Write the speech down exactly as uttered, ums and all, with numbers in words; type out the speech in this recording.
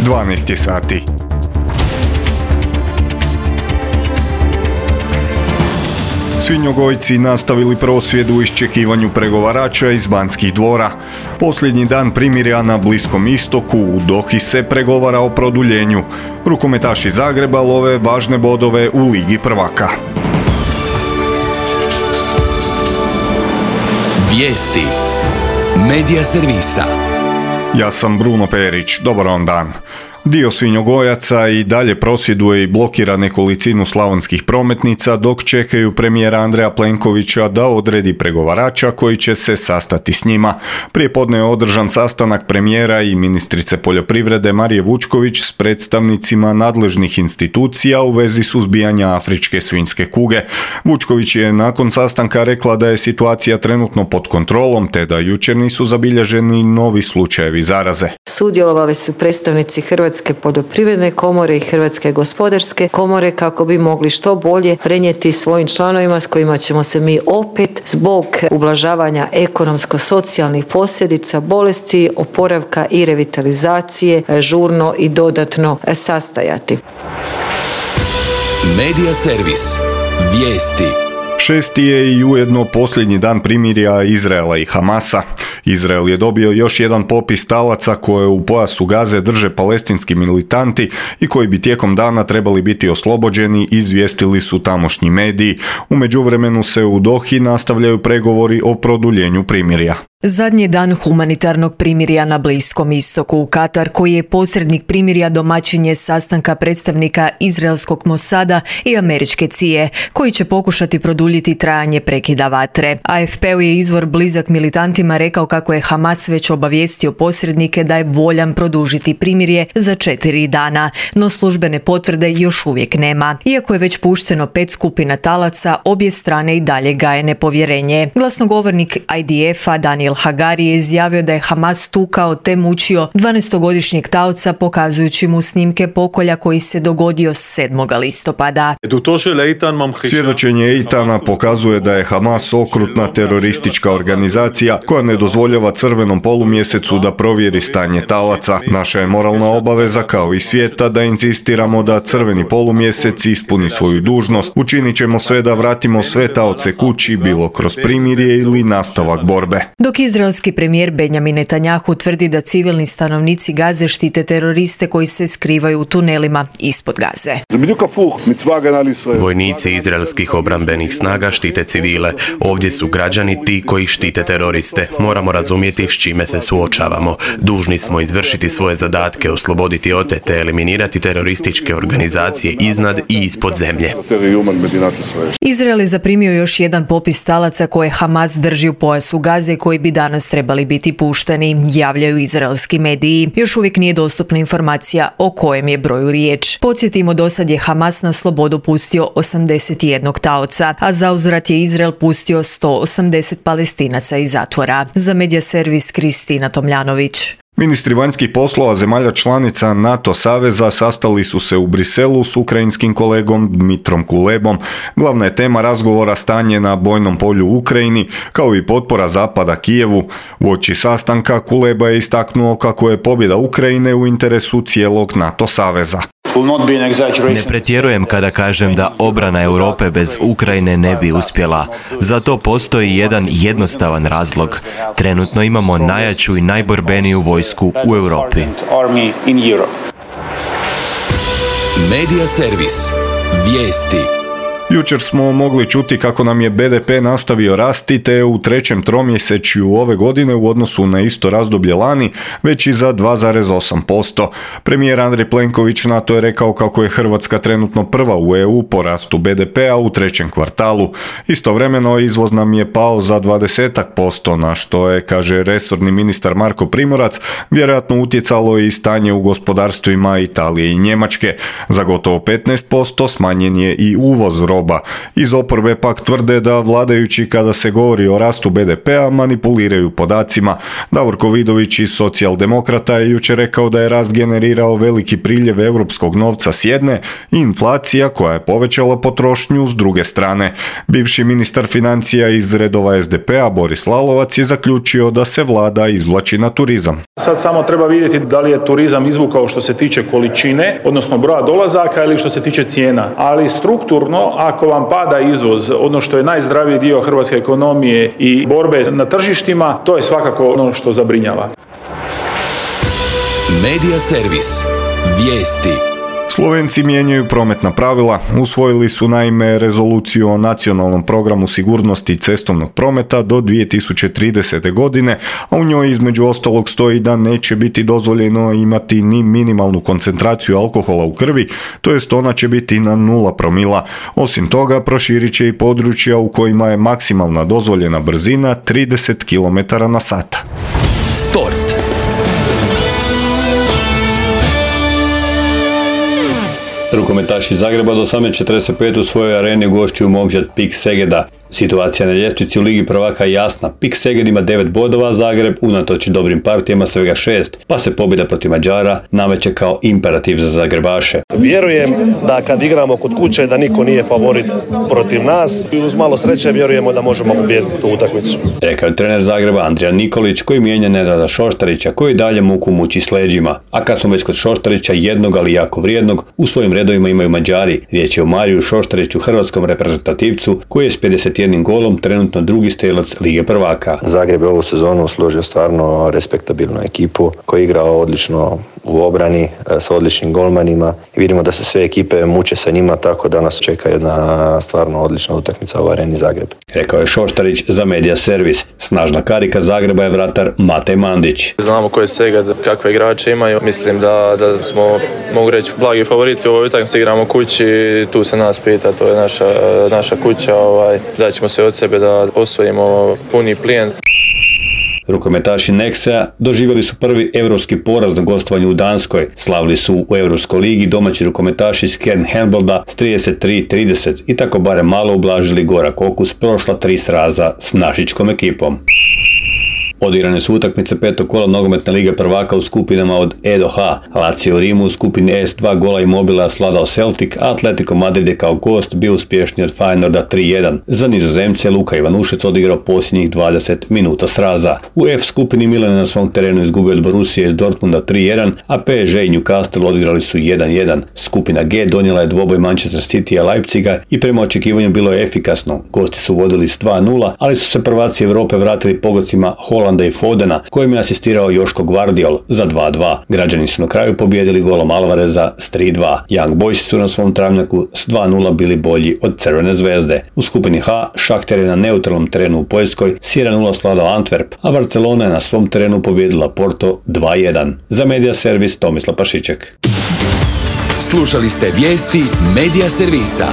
dvanaest sati. Svinjogojci nastavili prosvjed u iščekivanju pregovarača iz Banskih dvora. Posljednji dan primirja na Bliskom istoku, u Dohi se pregovara o produljenju. Rukometaši Zagreba love važne bodove u Ligi prvaka. Vijesti Medija servisa. Ja sam Bruno Perić, dobar vam dan. Dio svinjogojaca i dalje prosvjeduje i blokira nekolicinu slavonskih prometnica dok čekaju premijera Andreja Plenkovića da odredi pregovarača koji će se sastati s njima. Prijepodne je održan sastanak premijera i ministrice poljoprivrede Marije Vučković s predstavnicima nadležnih institucija u vezi suzbijanja afričke svinjske kuge. Vučković je nakon sastanka rekla da je situacija trenutno pod kontrolom te da jučer nisu zabilježeni novi slučajevi zaraze. Sudjelovali su predstavnici Hrvatske poljoprivredne komore i Hrvatske gospodarske komore kako bi mogli što bolje prenijeti svojim članovima s kojima ćemo se mi opet zbog ublažavanja ekonomsko-socijalnih posljedica bolesti, oporavka i revitalizacije žurno i dodatno sastajati. Medija servis. Vijesti. Šesti je i ujedno posljednji dan primirja Izraela i Hamasa. Izrael je dobio još jedan popis talaca koje u pojasu Gaze drže palestinski militanti i koji bi tijekom dana trebali biti oslobođeni, izvijestili su tamošnji mediji. U međuvremenu se u Dohi nastavljaju pregovori o produljenju primirja. Zadnji dan humanitarnog primirja na Bliskom istoku. Katar, koji je posrednik primirja, domaćin je sastanka predstavnika izraelskog Mosada i američke C I A, koji će pokušati produljiti trajanje prekida vatre. A F P-u je izvor blizak militantima rekao kako je Hamas već obavijestio posrednike da je voljan produžiti primirje za četiri dana, no službene potvrde još uvijek nema. Iako je već pušteno pet skupina talaca, obje strane i dalje gaje nepovjerenje. Glasnogovornik I D F-a Daniel Hagari je izjavio da je Hamas tukao te mučio dvanaestogodišnjeg taoca, pokazujući mu snimke pokolja koji se dogodio sedmog listopada. Svjedočenje Eitana pokazuje da je Hamas okrutna teroristička organizacija koja ne dozvoljava crvenom polumjesecu da provjeri stanje talaca. Naša je moralna obaveza kao i svijeta da inzistiramo da crveni polumjesec ispuni svoju dužnost. Učinit ćemo sve da vratimo sve taoce kući, bilo kroz primirje ili nastavak borbe. Dok izraelski premijer Benjamin Netanjahu tvrdi da civilni stanovnici Gaze štite teroriste koji se skrivaju u tunelima ispod Gaze. Vojnici izraelskih obrambenih snaga štite civile. Ovdje su građani ti koji štite teroriste. Moramo razumjeti s čime se suočavamo. Dužni smo izvršiti svoje zadatke, osloboditi otete, eliminirati terorističke organizacije iznad i ispod zemlje. Izrael je zaprimio još jedan popis talaca koje Hamas drži u pojasu Gaze koji bi danas trebali biti pušteni, javljaju izraelski mediji. Još uvijek nije dostupna informacija o kojem je broju riječ. Podsjetimo, dosad je Hamas na slobodu pustio osamdeset jednog taoca, a zauzvrat je Izrael pustio sto osamdeset Palestinaca iz zatvora. Za Medija servis Kristina Tomljanović. Ministri vanjskih poslova zemalja članica NATO saveza sastali su se u Briselu s ukrajinskim kolegom Dmitrom Kulebom. Glavna je tema razgovora stanje na bojnom polju u Ukrajini, kao i potpora Zapada Kijevu. Uoči sastanka Kuleba je istaknuo kako je pobjeda Ukrajine u interesu cijelog NATO saveza. Ne pretjerujem kada kažem da obrana Europe bez Ukrajine ne bi uspjela. Zato postoji jedan jednostavan razlog. Trenutno imamo najjaču i najborbeniju vojsku u Europi. Medija servis. Vijesti. Jučer smo mogli čuti kako nam je B D P nastavio rasti te u trećem tromjesečju ove godine u odnosu na isto razdoblje lani veći za dva zarez osam posto. Premijer Andrej Plenković na to je rekao kako je Hrvatska trenutno prva u E U po rastu B D P-a u trećem kvartalu. Istovremeno izvoz nam je pao za dvadeset posto, na što je, kaže resorni ministar Marko Primorac, vjerojatno utjecalo i stanje u gospodarstvima Italije i Njemačke. Za gotovo petnaest posto smanjen je i uvoz roba roba. Iz oporbe pak tvrde da vladajući kada se govori o rastu be de pea manipuliraju podacima. Davorko Vidović iz Socijaldemokrata je jučer rekao da je rast generirao veliki priljev europskog novca s jedne i inflacija koja je povećala potrošnju s druge strane. Bivši ministar financija iz redova es de pea Boris Lalovac je zaključio da se vlada izvlači na turizam. Sad samo treba vidjeti da li je turizam izvukao što se tiče količine, odnosno broja dolazaka ili što se tiče cijena. Ali strukturno, ako vam pada izvoz, ono što je najzdraviji dio hrvatske ekonomije i borbe na tržištima, to je svakako ono što zabrinjava. Medija servis. Vijesti. Slovenci mijenjaju prometna pravila, usvojili su naime rezoluciju o nacionalnom programu sigurnosti cestovnog prometa do dvije tisuće tridesete. godine, a u njoj između ostalog stoji da neće biti dozvoljeno imati ni minimalnu koncentraciju alkohola u krvi, to jest ona će biti na nula promila. Osim toga, proširit će i područja u kojima je maksimalna dozvoljena brzina trideset kilometara na sat. Sport. Rukometaši Zagreba do osamnaest četrdeset pet u svojoj areni gošćuju momčad PIK Segeda. Situacija na ljestvici u Ligi prvaka je jasna. PIK Seged ima devet bodova, Zagreb unatoč dobrim partijama svega šest, pa se pobjeda protiv Mađara nameće kao imperativ za Zagrebaše. Vjerujem da kad igramo kod kuće da niko nije favorit protiv nas i uz malo sreće vjerujemo da možemo pobijediti tu utakmicu. Rekao je trener Zagreba Andrija Nikolić koji mijenja Nenada Šoštarića koji dalje muku muči s leđima. A kad smo već kod Šoštarića, jednog ali jako vrijednog, u svojim redovima imaju Mađari. Riječ je o Mariju Šoštariću, hrvatskom reprezentativcu koji je s pedeset jednim golom trenutno drugi strelac Lige prvaka. Zagreb je ovu sezonu složio stvarno respektabilnu ekipu koja je igrao odlično u obrani s odličnim golmanima i vidimo da se sve ekipe muče sa njima, tako da nas čeka jedna stvarno odlična utakmica u areni Zagreb. Rekao je Šoštarić za Medija servis. Snažna karika Zagreba je vratar Matej Mandić. Znamo ko je Seged, kakve igrače imaju. Mislim da, da smo, mogu reći, blagi favoriti u ovoj utakmici. Igramo kući, tu se nas pita, to je naša, naša kuća. Ovaj, da ćemo se od sebe da osvojimo puni plijen. Rukometaši Nexea doživjeli su prvi europski poraz na gostovanju u Danskoj. Slavili su u Europskoj ligi domaći rukometaši iz Kern Handbolda s trideset tri trideset i tako barem malo ublažili gorak okus prošla tri sraza s našičkom ekipom. Odigrane su utakmice petog kola nogometne lige prvaka u skupinama od E do H. Lazio u Rimu u skupini E s dva gola Immobila sladao Celtic, a Atletico Madrid je kao gost bio uspješniji od Feyenoorda tri jedan. Za Nizozemce Luka Ivanušec odigrao posljednjih dvadeset minuta sraza. U F skupini Milan je na svom terenu izgubio od Borussije iz Dortmunda tri jedan, a P S G i Newcastle odigrali su jedan jedan. Skupina G donijela je dvoboj Manchester City-a Leipziga i prema očekivanju bilo je efikasno. Gosti su vodili s dva nula, ali su se prvaci Europe vratili pogodcima Holanda i Fodena, kojim je asistirao Joško Gvardiol za dva dva. Građani su na kraju pobijedili golom Alvareza s tri dva. Young Boysi su na svom travnjaku s dva nula bili bolji od Crvene zvezde. U skupini H Šahter je na neutralnom terenu u Poljskoj s jedan nula sladao Antwerp, a Barcelona je na svom terenu pobijedila Porto dva jedan. Za Medija servis Tomislav Pašiček. Slušali ste vijesti Medija servisa.